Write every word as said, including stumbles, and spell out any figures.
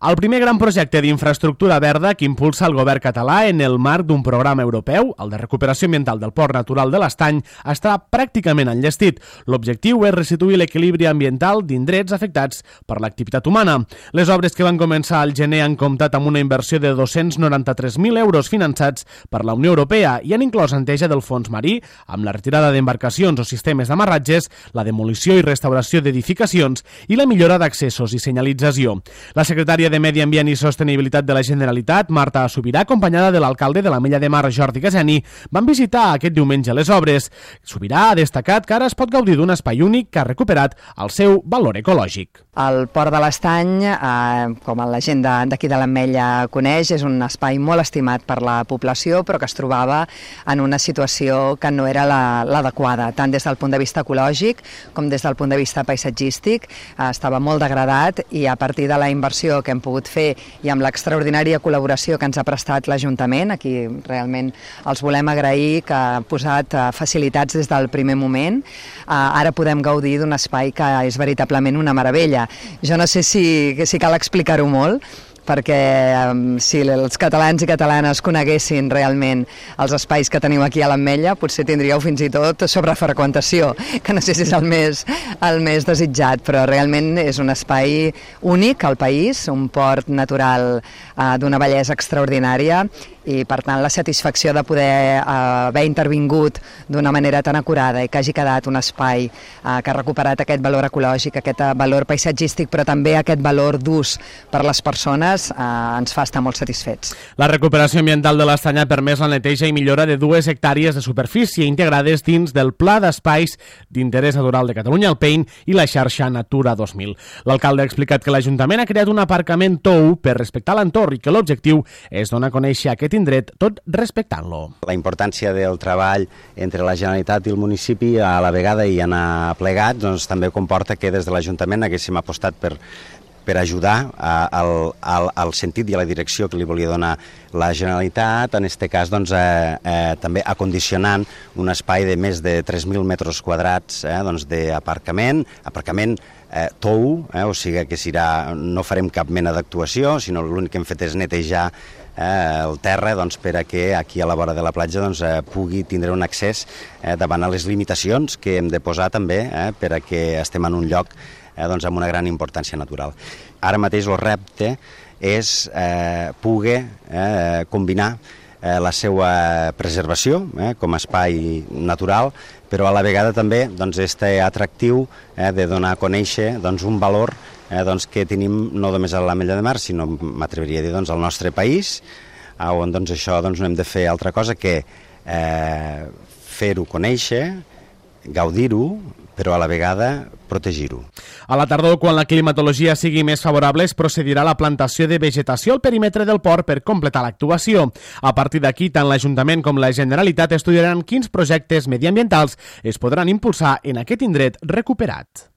El primer gran projecte d'infraestructura verda que impulsa el govern català en el marc d'un programa europeu, el de recuperació ambiental del Port Natural de l'Estany, està pràcticament enllestit. L'objectiu és restituir l'equilibri ambiental d'indrets afectats per l'activitat humana. Les obres que van començar al gener han comptat amb una inversió de dos-cents noranta-tres mil euros finançats per la Unió Europea i han inclòs enteja del fons marí, amb la retirada d'embarcacions o sistemes d'amarratges, la demolició i restauració d'edificacions i la millora d'accessos i senyalització. La secretària de Medi Ambient i Sostenibilitat de la Generalitat, Marta Subirà, acompanyada de l'alcalde de l'Ametlla de Mar, Jordi Caseni, van visitar aquest diumenge les obres. Subirà ha destacat que ara es pot gaudir d'un espai únic que ha recuperat el seu valor ecològic. El Port de l'Estany, eh, com la gent d'aquí de l'Ametlla coneix, és un espai molt estimat per la població, però que es trobava en una situació que no era l'adequada, tant des del punt de vista ecològic com des del punt de vista paisatgístic. Eh, estava molt degradat i a partir de la inversió que hem pogut fer i amb l'extraordinària col·laboració que ens ha prestat l'Ajuntament, aquí realment els volem agrair, que ha posat facilitats des del primer moment. Ara podem gaudir d'un espai que és veritablement una meravella. Jo no sé si, si cal explicar-ho molt, perquè um, si els catalans i catalanes coneguessin realment els espais que teniu aquí a l'Ametlla, potser tindríeu fins i tot sobrefreqüentació, que no sé si és el més, el més desitjat, però realment és un espai únic al país, un port natural uh, d'una bellesa extraordinària i, per tant, la satisfacció de poder uh, haver intervingut d'una manera tan acurada i que hagi quedat un espai uh, que ha recuperat aquest valor ecològic, aquest uh, valor paisatgístic, però també aquest valor d'ús per les persones, Eh, ens fa estar molt satisfets. La recuperació ambiental de l'Estany ha permès la neteja i millora de dues hectàrees de superfície integrades dins del Pla d'Espais d'Interès Natural de Catalunya, el P E I N, i la xarxa Natura dos mil. L'alcalde ha explicat que l'Ajuntament ha creat un aparcament tou per respectar l'entorn i que l'objectiu és donar a conèixer aquest indret tot respectant-lo. La importància del treball entre la Generalitat i el municipi a la vegada i anar plegats doncs, també comporta que des de l'Ajuntament haguéssim apostat per per ajudar al, al, al sentit i a la direcció que li volia donar la Generalitat, en aquest cas doncs, eh, eh, també acondicionant un espai de més de tres mil metres quadrats eh, doncs, d'aparcament, aparcament eh, tou, eh, o sigui que serà, no farem cap mena d'actuació, sinó l'únic que hem fet és netejar eh, el terra doncs, per a que aquí a la vora de la platja doncs, eh, pugui tindre un accés eh, davant a les limitacions que hem de posar també eh, per a que estem en un lloc Eh, doncs amb una gran importància natural. Ara mateix el repte és eh, poder eh, combinar eh, la seva preservació eh, com a espai natural, però a la vegada també doncs, este atractiu eh, de donar a conèixer doncs, un valor eh, doncs, que tenim no només a l'Ametlla de Mar, sinó m'atreviria a dir doncs, al nostre país, on doncs, això doncs, no hem de fer altra cosa que eh, fer-ho conèixer, gaudir-ho, però a la vegada protegir-ho. A la tardor, quan la climatologia sigui més favorable, es procedirà a la plantació de vegetació al perímetre del port per completar l'actuació. A partir d'aquí, tant l'Ajuntament com la Generalitat estudiaran quins projectes mediambientals es podran impulsar en aquest indret recuperat.